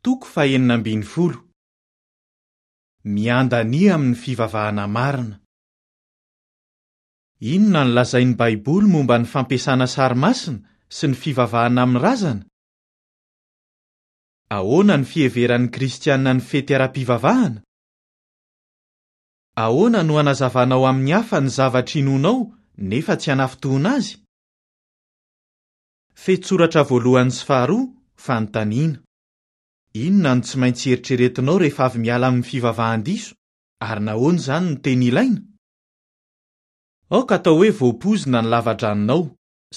Toko fahenina ambin'ny folo. Miandania amin'ny fivavahana marina. Inona no lazain'ny Baiboly momba ny fampiasana sary masina sy ny fivavahana amin'ny razana? Ahoana ny fiheveran'ny Kristianina ny fety ara-pivavahana? Ahoana no hanazavanao amin'ny hafa ny zavatra inoanao nefa tsy hanafintohina azy? Fehintsoratra voalohany sy faharoa, Fanontaniana. Inona no tsy maintsy eritreretinao rehefa avy miala amin'ny fivavahan-diso, ary nahoana izany no tena ilaina? Aoka atao hoe voapoizina ny lava-dranonao,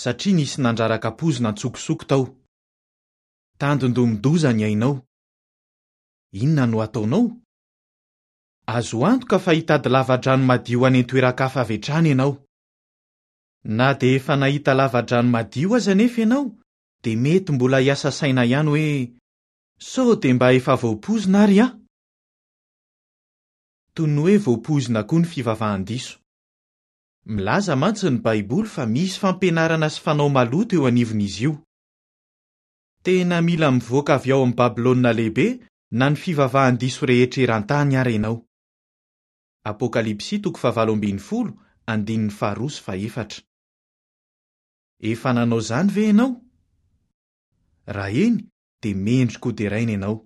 satria nisy nandraraka poizina an-tsokosoko tao. Tandindomin-doza ny ainao. Inona no hataonao? Azo antoka fa hitady lava-drano madio any an-toeran-kafa avy hatrany ianao. Na dia efa nahita lava-drano madio aza anefa ianao, dia mety mbola hiasa saina ihany hoe, 'Sao dia mba efa voapoizina ary aho? Toy ny hoe voapoizina koa ny fivavahan-diso. Milaza mantsy ny Baiboly fa misy fampianarana sy fanao maloto eo anivon'izy io. Tena mila mivoaka avy ao amin'i Babylona Lehibe na ny fivavahan-diso rehetra eran-tany àry ianao. Apokalypsy toko fahavalo ambin'ny folo, andininy faharoa sy fahefatra. Efa nanao izany ve ianao? Raha eny, dia mendrika hoderaina ianao.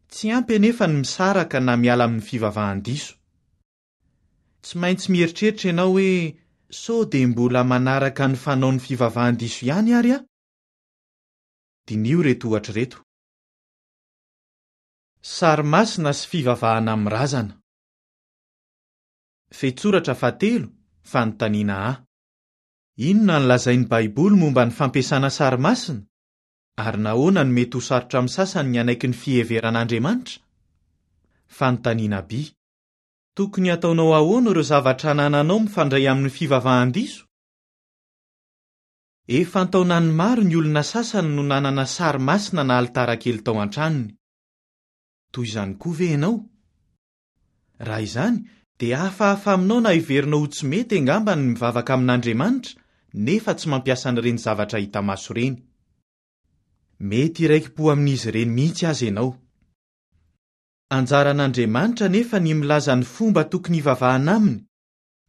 Tsy ampy anefa ny misaraka na miala amin'ny fivavahan-diso. Tsy maintsy mieritreritra ianao hoe, 'Sao dia mbola manaraka ny fanaon'ny fivavahan-diso ihany ary aho? Diniho ireto ohatra ireto. Sary masina sy fivavahana amin'ny razana. Fehintsoratra fahatelo, Fanontaniana A. Inona no lazain'ny Baiboly momba ny fampiasana sary masina, ary nahoana no mety ho sarotra amin'ny sasany ny hanaiky ny fiheveran'Andriamanitra? Fanontaniana B. Tokony hataonao ahoana ireo zavatra anananao mifandray amin'ny fivavahan-diso? Efa an-taonany maro ny olona sasany no nanana sary masina na alitara kely tao an-tranony. Toy izany koa ve ianao? Raha izany, dia hafahafa aminao na heverinao ho tsy mety angamba ny mivavaka amin'Andriamanitra nefa tsy mampiasa an'ireny zavatra hita maso ireny. Mety hiraiki-po amin'izy ireny mihitsy aza ianao. Anjaran'Andriamanitra anefa ny milaza ny fomba tokony hivavahana aminy,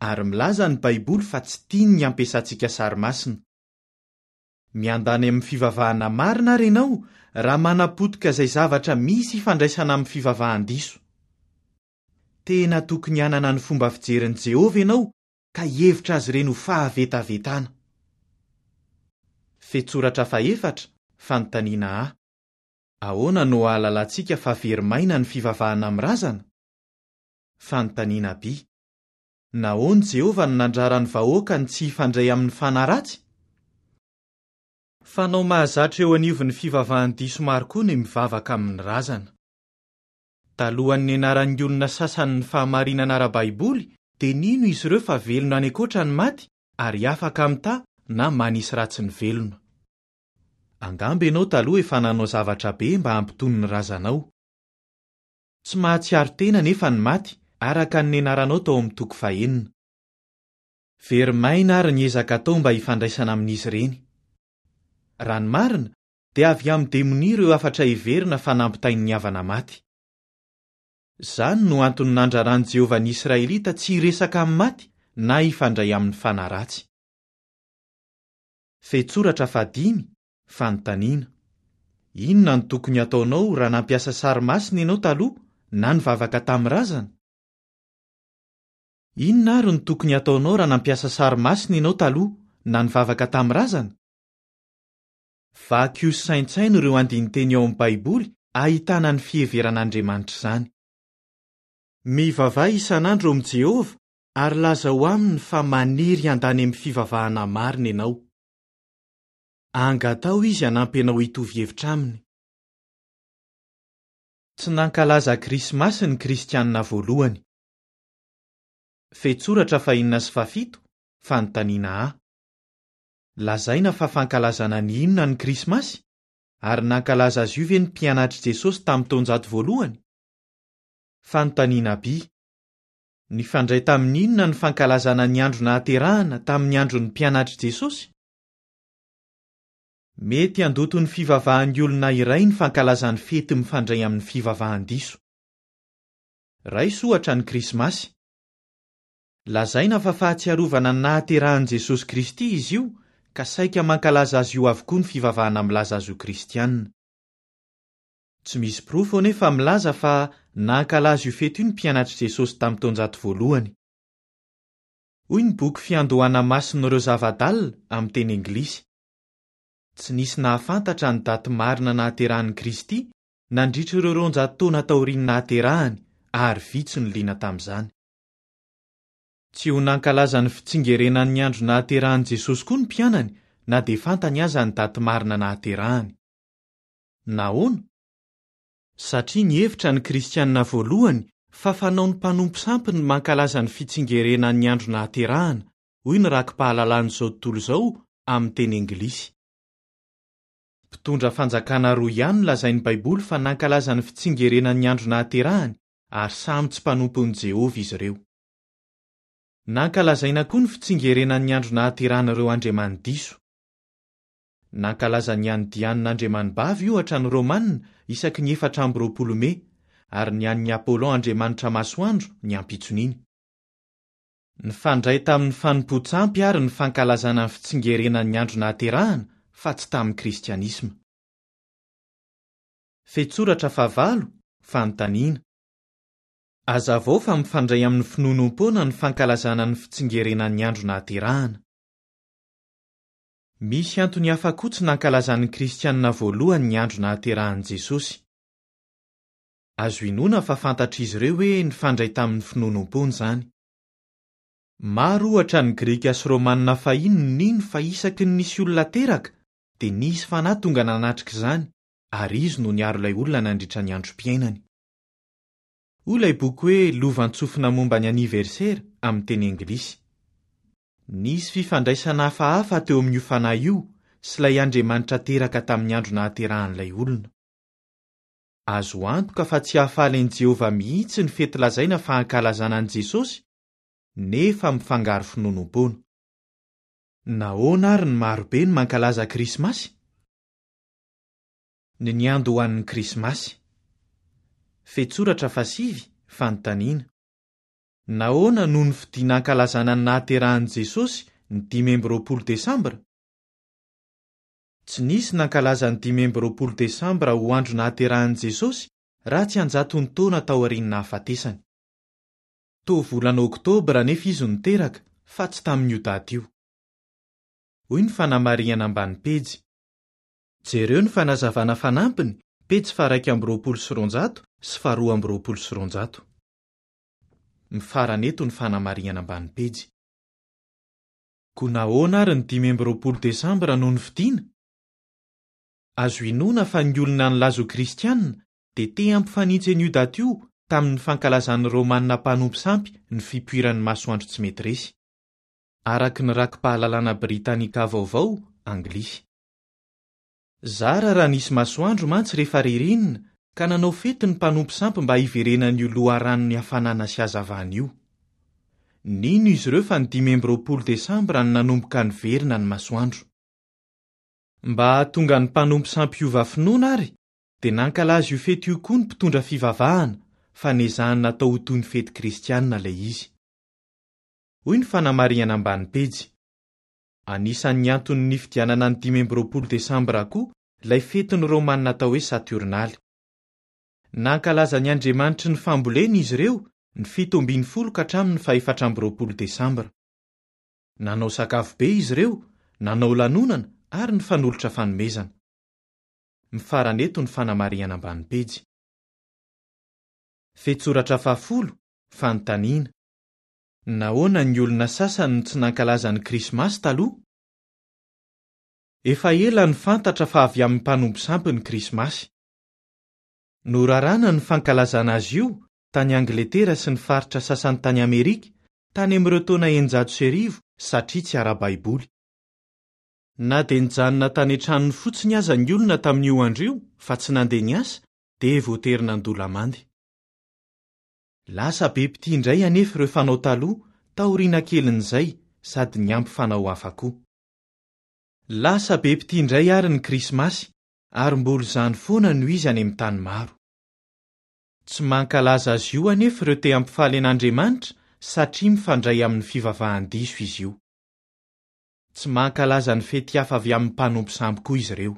ary milaza ny Baiboly fa tsy tiany ny hampiasantsika sary masina. Miandany amin'ny fivavahana marina àry ianao raha manapotika izay zavatra misy ifandraisana amin'ny fivavahan-diso. Tena tokony hanana ny fomba fijerin'i Jehovah ianao ka hihevitra azy ireny ho fahavetavetana. Fehintsoratra fahefatra, Fanontaniana A. Ahoana no ahalalantsika fa very maina ny fivavahana amin'ny razana? Fanontaniana B. Nahoana Jehovah no nandrara ny vahoakany tsy hifandray amin'ny fanahy ratsy? Fanao mahazatra eo anivon'ny fivavahan-diso maro koa ny mivavaka amin'ny razana. Talohan'ny nianaran'ny olona sasany ny fahamarinana ara-baiboly, dia nino izy ireo fa velona any ankoatra ny maty ary afaka mitaha na manisy ratsy ny velona. Angamba ianao taloha efa nanao zavatra be mba hampitony ny razanao. Tsy mahatsiaro tena anefa ny maty, araka ny nianaranao tao amin'ny toko fahenina. Very maina àry ny ezaka atao mba hifandraisana amin'izy ireny. Raha ny marina, dia avy amin'ny demonia ireo hafatra heverina fa nampitain'ny havana maty. Izany no antony nandraran'i Jehovah ny Israelita tsy hiresaka amin'ny maty na hifandray amin'ny fanahy ratsy. Fehintsoratra fahadimy, Fanontaniana. Inona no tokony hataonao raha nampiasa sary masina ianao taloha na nivavaka tamin'ny razana? Inona àry no tokony hataonao raha nampiasa sary masina ianao taloha na nivavaka tamin'ny razana? Vakio sy saintsaino ireo andinin-teny ao amin'ny Baiboly ahitana ny fiheveran'Andriamanitra izany. Mivavaha isan'andro amin'i Jehovah ary lazao aminy fa maniry handany amin'ny fivavahana marina ianao. Angataho izy hanampy anao hitovy hevitra aminy. Tsy nankalaza Krismasy ny Kristianina voalohany. Fehintsoratra fahenina sy fahafito, Fanontaniana A. Lazaina fa fankalazana ny inona ny Krismasy? Ary nankalaza azy io ve ny mpianatr'i Jesosy tamin'ny taonjato voalohany? Fanontaniana B. Nifandray tamin'ny inona ny fankalazana ny andro nahaterahana tamin'ny andron'ny mpianatr'i Jesosy? Mety handoto ny fivavahan'ny olona iray ny fankalazany fety mifandray amin'ny fivavahan-diso. Raiso ohatra ny Krismasy. Lazaina fa fahatsiarovana ny nahaterahan'i Jesosy Kristy izy io, ka saika mankalaza azy io avokoa ny fivavahana milaza azy ho kristiana. Tsy misy porofo anefa milaza fa nankalaza io fety io ny mpianatr'i Jesosy tamin'ny taonjato voalohany. Hoy ny boky Fiandohana Masin'ireo Zava-dalina, amin'ny teny anglisy. Tsy nisy nahafantatra ny daty marina nahaterahan'i Kristy nandritra ireo 200 taona taorian'ny nahaterahany, ary vitsy no liana tamin'izany. Tsy ho nankalaza ny fitsingerenan'ny andro nahaterahan'i Jesosy koa ny mpianany, na dia fantany aza ny daty marina nahaterahany. Nahoana? Satria nihevitra ny Kristianina voalohany fa fanaon'ny mpanompo sampy ny mankalaza ny fitsingerenan'ny andro nahaterahana, hoy ny Rakipahalalàn'izao tontolo izao amin'ny teny anglisy. Mpitondra fanjakana roa ihany no lazain'ny Baiboly fa nankalaza ny fitsingerenan'ny andro nahaterahany, ary samy tsy mpanompon'i Jehovah izy ireo. Nankalazaina koa ny fitsingerenan'ny andro nahaterahan'ireo andriamani-diso. Nankalaza ny an'i Diana andriamanibavy, ohatra, ny Romanina isaky ny 24 Mey, ary ny an'i Apollon andriamanitra masoandro ny ampitson'iny. Nifandray tamin'ny fanompoan-tsampy àry ny fankalazana ny fitsingerenan'ny andro nahaterahana, fa tsy tamin'ny Kristianisma. Fehintsoratra fahavalo, Fanontaniana. Hazavao fa mifandray amin'ny finoanoam-poana ny fankalazana ny fitsingerenan'ny andro nahaterahana. Misy antony hafa koa tsy nankalazan'ny Kristianina voalohany ny andro nahaterahan'i Jesosy. Azo inoana fa fantatr'izy ireo hoe nifandray tamin'ny finoanoam-poana izany. Maro, ohatra, ny Grika sy Romanina fahiny no nino fa isaky ny nisy olona teraka, dia nisy fanahy tonga nanatrika izany, ary izy no niaro ilay olona nandritra ny androm-piainany. Hoy ilay boky hoe Lovantsofina Momba ny Aniversera, amin'ny teny anglisy. Nisy fifandraisana hafahafa teo amin'io fanahy io sy ilay Andriamanitra teraka tamin'ny andro nahaterahan'ilay olona. Azo antoka fa tsy hahafaly an'i Jehovah mihitsy ny fety lazaina fa ankalazana an'i Jesosy, nefa mifangaro finoanoam-poana. Nahoana àry ny maro be no mankalaza Krismasy? Ny niandohan'ny Krismasy. Fehintsoratra fahasivy, Fanontaniana. Nahoana no nofidina hankalazana ny nahaterahan'i Jesosy ny 25 Desambra? Tsy nisy nankalaza ny 25 Desambra ho andro nahaterahan'i Jesosy raha tsy an-jatony taona taorian'ny nahafatesany. Toa volana Oktobra anefa izy no teraka, fa tsy tamin'io daty io. Hoy ny fanamarihana ambany pejy. Jereo ny fanazavana fanampiny, pejy faha-221 sy faha-222. Mifarana eto ny fanamarihana ambany pejy. Koa nahoana ary ny 25 Desambra no nofidina? Azo inoana fa ny olona nilaza ho Kristiana dia te hampifanitsy an'io daty io tamin'ny fankalazan'ny Romana mpanompo sampy ny fipoiran'ny masoandro tsy mety resy. Araka ny Rakipahalalana Britannica Vaovao, anglisy. Zara raha nisy masoandro mantsy rehefa ririnina ka nanao fety ny mpanompo sampy mba hiverenan'io loharanon'ny hafanana sy hazavana io. Nino izy ireo fa ny 25 desambra no nanomboka niverina ny masoandro. Mba hahatonga ny mpanompo sampy hiova finoana àry dia nankalaza io fety io koa ny mpitondra fivavahana fa nezahany natao ho toy ny fety kristianina ilay izy. Hoy ny fanamarihana ambany pejy. Anisan'ny antony nifidianana ny 25 desambra koa ilay fetin'ny Romanina atao hoe Saturnaly. Nankalaza ny andriamanitry ny fambolena izy ireo ny 17 ka hatramin'ny faha-24 desambra. Nanao sakafo be izy ireo, nanao lanonana ary nifanolotra fanomezana. Mifarana eto ny fanamarihana ambany pejy. Fehintsoratra fahafolo, Fanontaniana. Nahoana ny olona sasany no tsy nankalaza ny Krismasy taloha? Efa ela no fantatra fa avy amin'ny mpanompo sampy ny Krismasy. Norarana ny fankalazana azy io tany Angletera sy ny faritra sasany tany Amerika, tany amin'ireo taona 1600 satria tsy ara-baiboly. Na dia nijanona tany an-tranony fotsiny aza ny olona tamin'io andro io fa tsy nandeha niasa, dia voatery nandoa lamandy. Lasa be mpitia indray anefa ireo fanao taloha taoriana kelin'izay sady niampy fanao hafa koa. Lasa be mpitia indray àry ny Krismasy, ary mbola izany foana no izy any amin'ny tany maro. Tsy mankalaza azy io anefa ireo te hampifaly an'Andriamanitra satria mifandray amin'ny fivavahan-diso izy io. Tsy mankalaza ny fety hafa avy amin'ny mpanompo sampy koa izy ireo.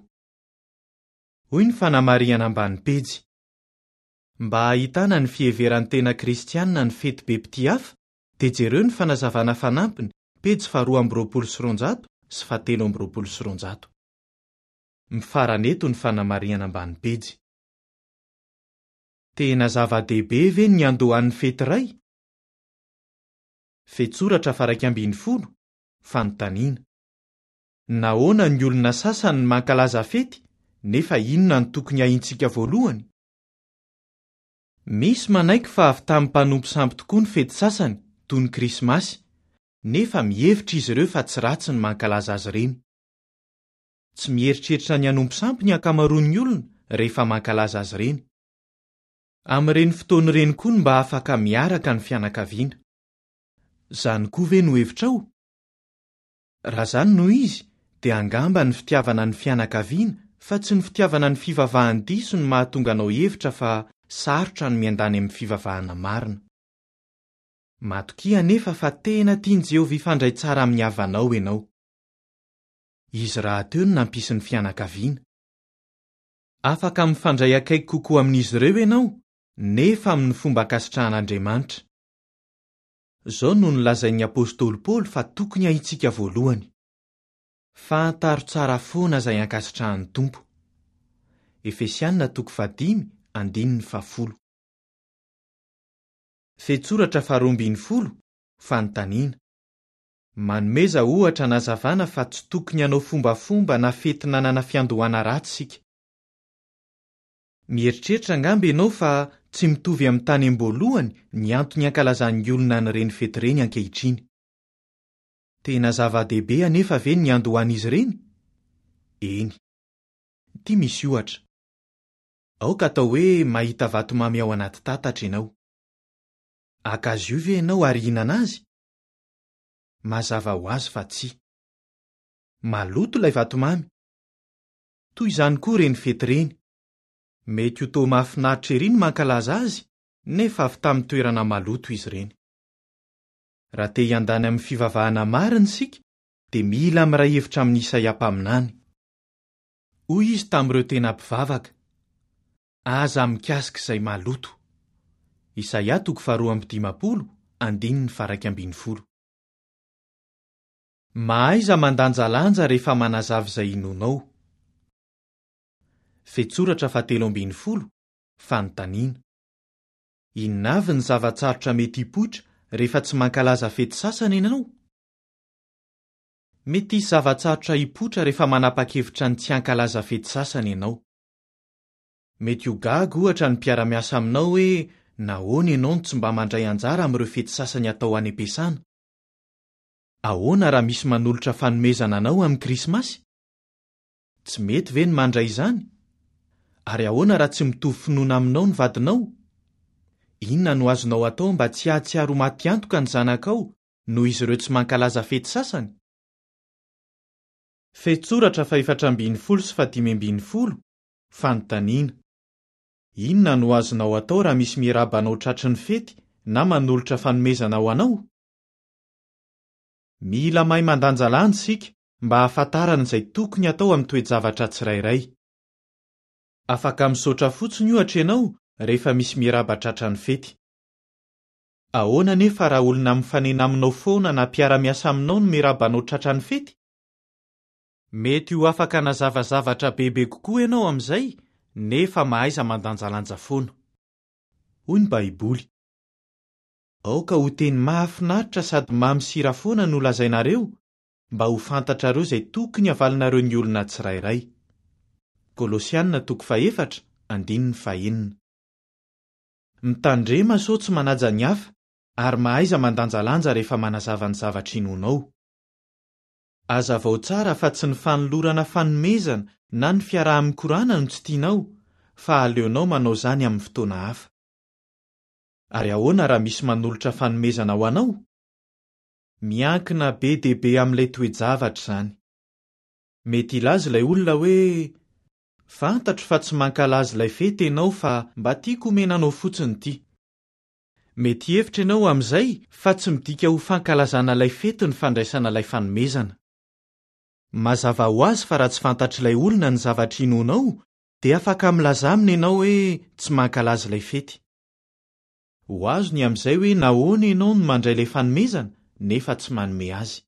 Hoy ny fanamarihana ambany pejy, Mba hahitana ny fiheveran'ny tena Kristianina ny fety be mpitia hafa, dia jereo ny fanazavana fanampiny, pejy faharoa amby roapolo sy roanjato sy fahatelo amby roapolo sy roanjato. Mifarana eto ny fanamarihana ambany pejy. Tena zava-dehibe ve ny niandohan'ny fety iray? Fehintsoratra faha-11, Fanontaniana. Nahoana ny olona sasany no mankalaza fety, nefa inona no tokony hahintsika voalohany? Misy manaiky fa avy tamin'ny mpanompo sampy tokoa ny fety sasany, toy ny Krismasy, nefa mihevitra izy ireo fa tsy ratsy ny mankalaza azy ireny. Tsy mieritreritra ny hanompo sampy ny ankamaroan'ny olona rehefa mankalaza azy ireny. Amin'ireny fotoana ireny koa no mba afaka miaraka ny fianakaviana. Izany koa ve no hevitrao? Raha izany no izy, dia angamba ny fitiavana ny fianakaviana fa tsy ny fitiavana ny fivavahan-diso no mahatonga anao hihevitra fa sarotra ny miandany amin'ny fivavahana marina. Matokia anefa fa tena tian'i Jehovah hifandray tsara amin'ny havanao ianao. Izy rahateo no nampisy ny fianakaviana. Afaka mifandray akaiky kokoa amin'izy ireo ianao, nefa amin'ny fomba ankasitrahan'Andriamanitra. Izao no nolazain'ny apostoly Paoly fa tokony haintsika voalohany, Fantaro tsara foana izay ankasitrahan'ny Tompo. Efesiana toko fahadimy andininy fahafolo. Fehintsoratra faharoa ambin'ny folo, Fanontaniana. Manomeza ohatra hanazavana fa tsy tokony hanao fombafomba na fety nanana fiandohana ratsy isika. Mieritreritra angamba ianao fa tsy mitovy amin'ny tany am-boalohany ny antony ankalazan'ny olona an'ireny fety ireny ankehitriny. Tena zava-dehibe anefa ve ny niandohan'izy ireny? Eny. Ity misy ohatra. Aoka atao hoe mahita vatomamy ao anaty tatatra ianao. Haka azy io ve ianao ary hihinana azy? Mazava ho azy fa tsia. Maloto ilay vatomamy. Toy izany koa ireny fety ireny. Mety ho toa mahafinaritra ery ny mankalaza azy, nefa avy tamin'ny toerana maloto izy ireny. Raha te hiandany amin'ny fivavahana marina isika, dia mila miray hevitra amin'i Isaia mpaminany. Hoy izy tamin'ireo tena mpivavaka, Aza mikasika izay maloto. Isaia toko faharoa amby dimampolo, andininy faha-iraika ambin'ny folo. Mahaiza mandanjalanja rehefa manazava izay inoanao. Fehintsoratra fahatelo ambin'ny folo, Fanontaniana. Inona avy ny zava-tsarotra mety hipoitra rehefa tsy mankalaza fety sasany ianao? Mety hisy zava-tsarotra hipoitra rehefa manapa-kevitra ny tsy hankalaza fety sasany ianao. Mety ho gaga, ohatra, ny mpiara-miasa aminao hoe nahoana ianao no tsy mba mandray anjara amin'ireo fety sasany atao any am-piasana. Ahoana raha misy manolotra fanomezana anao amin'ny Krismasy? Tsy mety ve ny mandray izany? Ary ahoana raha tsy mitovy finoana aminao ny vadinao? Inona no azonao atao mba tsy hahatsiaro ho maty antoka ny zanakao noho izy ireo tsy mankalaza fety sasany? Fehintsoratra fahefatra ambin'ny folo sy fahadimy ambin'ny folo, Fanontaniana. Inona no azonao atao raha misy miarahaba anao tratry ny fety na manolotra fanomezana ho anao? Mila mahay mandanjalanja isika mba hahafantarana izay tokony hatao amin'ny toe-javatra tsirairay. Afaka misaotra fotsiny, ohatra, ianao rehefa misy miarahaba tratran'ny fety. Ahoana anefa raha olona mifanena aminao foana na mpiara-miasa aminao no miarahaba anao tratran'ny fety? Mety ho afaka hanazava zavatra bebe kokoa ianao amin'izay, nefa mahaiza mandanjalanja foana. Hoy ny Baiboly, Aoka ho teny mahafinaritra sady mamy sira foana no lazainareo, mba ho fantatrareo izay tokony havalinareo ny olona tsirairay. Kolosiana toko fahefatra, andininy fahenina. Mitandrema sao tsy manaja ny hafa, ary mahaiza mandanjalanja rehefa manazava ny zavatra inoanao. Hazavao tsara fa tsy ny fanolorana fanomezana na ny fiaraha-mikorana no tsy tianao, fa aleonao manao izany amin'ny fotoana hafa. Ary ahoana raha misy manolotra fanomezana ho anao? Miankina be dia be amin'ilay toe-javatra izany. Mety hilaza ilay olona hoe, Fantatro fa tsy mankalaza ilay fety ianao fa mba tiako homena anao fotsiny ity. Mety hihevitra ianao amin'izay fa tsy midika ho fankalazana ilay fety ny fandraisana ilay fanomezana. Mazava ho azy fa raha tsy fantatr'ilay olona ny zavatra inoanao dia afaka milaza aminy ianao hoe tsy mankalaza ilay fety. Ho azony amin'izay hoe nahoana ianao no mandray ilay fanomezana nefa tsy manome azy.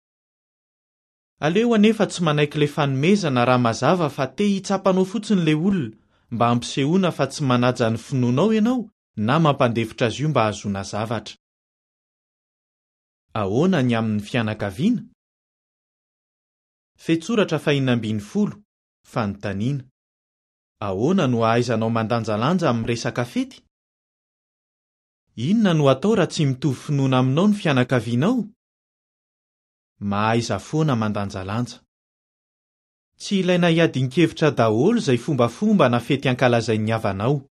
Aleo anefa tsy manaiky ilay fanomezana raha mazava fa te hitsapa anao fotsiny ilay olona mba hampisehoana fa tsy manaja ny finoanao ianao na mampandefitra azy io mba hahazoana zavatra. Ahoana ny amin'ny fianakaviana? Fehintsoratra fahenina ambin'ny folo, Fanontaniana, Ahoana no ahaizanao mandanjalanja amin'ny resaka fety? Inona no atao raha tsy mitovy finoana aminao ny fianakavianao? Mahaiza foana mandanjalanja. Tsy ilaina hiadin-kevitra daholo izay fombafomba na fety ankalazain'ny havanao.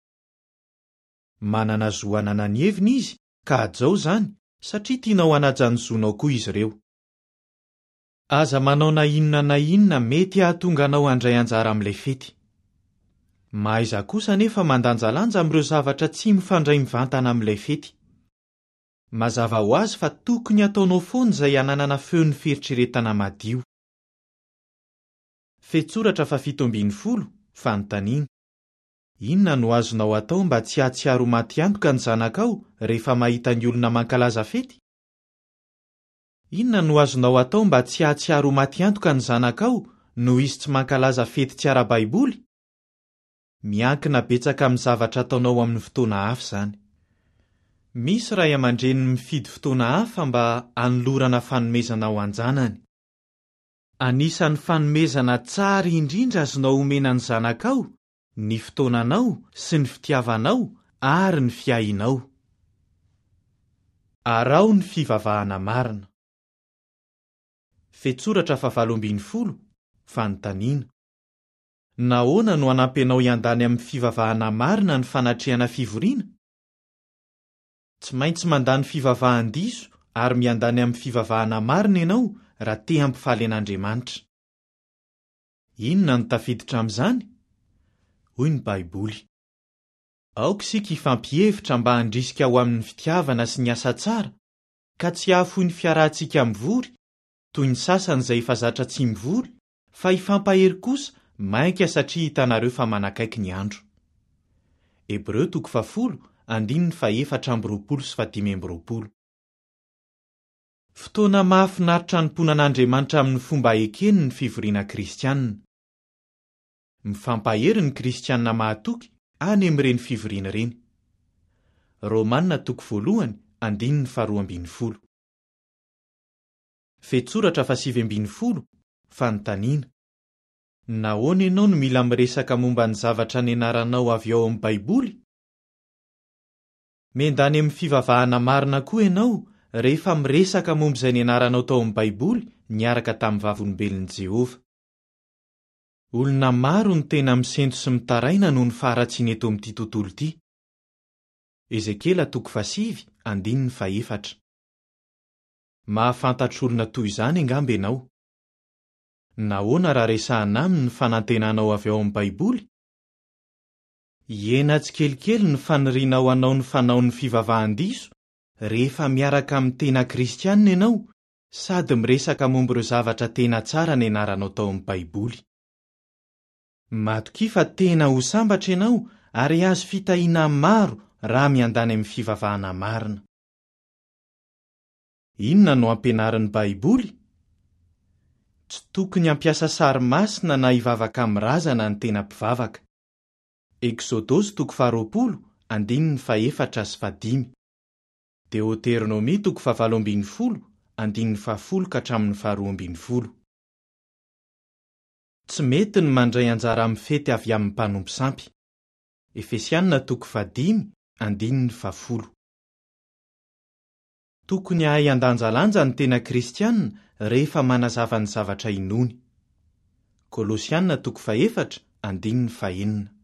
Manana zo hanana ny heviny izy ka hajao izany satria tianao hanaja ny zonao koa izy ireo. Aza manao na inona na inona mety hahatonga anao handray anjara amin'ilay fety. Mahaiza kosa anefa mandanjalanja amin'ireo zavatra tsy mifandray mivantana amin'ilay fety. Mazava ho azy fa tokony hataonao foana izay hananana feon'ny fieritreretana madio. Fehintsoratra fahafito ambin'ny folo, Fanontaniana, Inona no azonao atao mba tsy hahatsiaro ho maty antoka ny zanakao rehefa mahita ny olona mankalaza fety? Inona no azonao atao mba tsy hahatsiaro ho maty antoka ny zanakao noho izy tsy mankalaza fety tsy ara-baiboly? Miankina betsaka amin'ny zavatra ataonao amin'ny fotoana hafa izany. Misy ray aman-dreny mifidy fotoana hafa mba hanolorana fanomezana ho an-janany. Anisan'ny fanomezana tsara indrindra azonao omena ny zanakao ny fotoananao sy ny fitiavanao ary ny fiahianao. Araho ny fivavahana marina. Fehintsoratra fahavalo ambin'ny folo, Fanontaniana. Nahoana no hanampy anao hiandany amin'ny fivavahana marina ny fanatrehana fivoriana? Tsy maintsy mandà ny fivavahan-diso ary miandany amin'ny fivavahana marina ianao raha te hampifaly an'Andriamanitra. Inona no tafiditra amin'izany? Hoy ny Baiboly, Aoka isika hifampihevitra mba handrisika ho amin'ny fitiavana sy ny asa tsara, ka tsy hahafoy ny fiarahantsika mivory, toy ny sasany izay efa zatra tsy mivory, fa hifampahery kosa mainka satria hitanareo fa manakaiky ny andro. Hebreo toko fahafolo, andininy fahefatra amby roapolo sy fahadimy amby roapolo. Fotoana mahafinaritra hanompoana an'Andriamanitra amin'ny fomba ekeny ny fivoriana kristianina. Mifampahery ny kristianina mahatoky any amin'ireny fivoriana ireny. Romana toko voalohany andininy faharoa ambin'ny folo. Fehintsoratra fahasivy ambin'ny folo, Fanontaniana, Nahoana ianao no mila miresaka momba ny zavatra nianaranao avy ao amin'ny Baiboly? Miandany amin'ny fivavahana marina koa ianao rehefa miresaka momba izay nianaranao tao amin'ny Baiboly niaraka tamin'ny Vavolombelon'i Jehovah. Olona maro no tena misento sy mitaraina noho ny faharatsiana eto amin'ity tontolo ity. Ezekiela toko fahasivy, andininy fahefatra. Mahafantatra olona toy izany angamba ianao. Nahoana raha resahina aminy ny fanantenanao avy ao amin'ny Baiboly? Hihena tsikelikely ny fanirianao hanao ny fanaon'ny fivavahan-diso rehefa miaraka amin'ny tena Kristianina ianao sady miresaka momba ireo zavatra tena tsara nianaranao tao amin'ny Baiboly. Matokia fa tena ho sambatra ianao ary hahazo fitahiana maro raha miandany amin'ny fivavahana marina. Inona no ampianarin'ny Baiboly? Tsy tokony hampiasa sary masina na hivavaka amin'ny razana ny tena mpivavaka. Eksodosy toko faharoapolo, andininy fahefatra sy fahadimy. Deoteronomia toko fahavalo ambin'ny folo, andininy fahafolo ka hatramin'ny faharoa ambin'ny folo. Tsy mety ny mandray anjara amin'ny fety avy amin'ny mpanompo sampy. Efesiana toko fahadimy, andininy fahafolo. Tokony hahay handanjalanja ny tena Kristiana rehefa manazava ny zavatra inoany. Kolosiana toko fahefatra, andininy fahenina.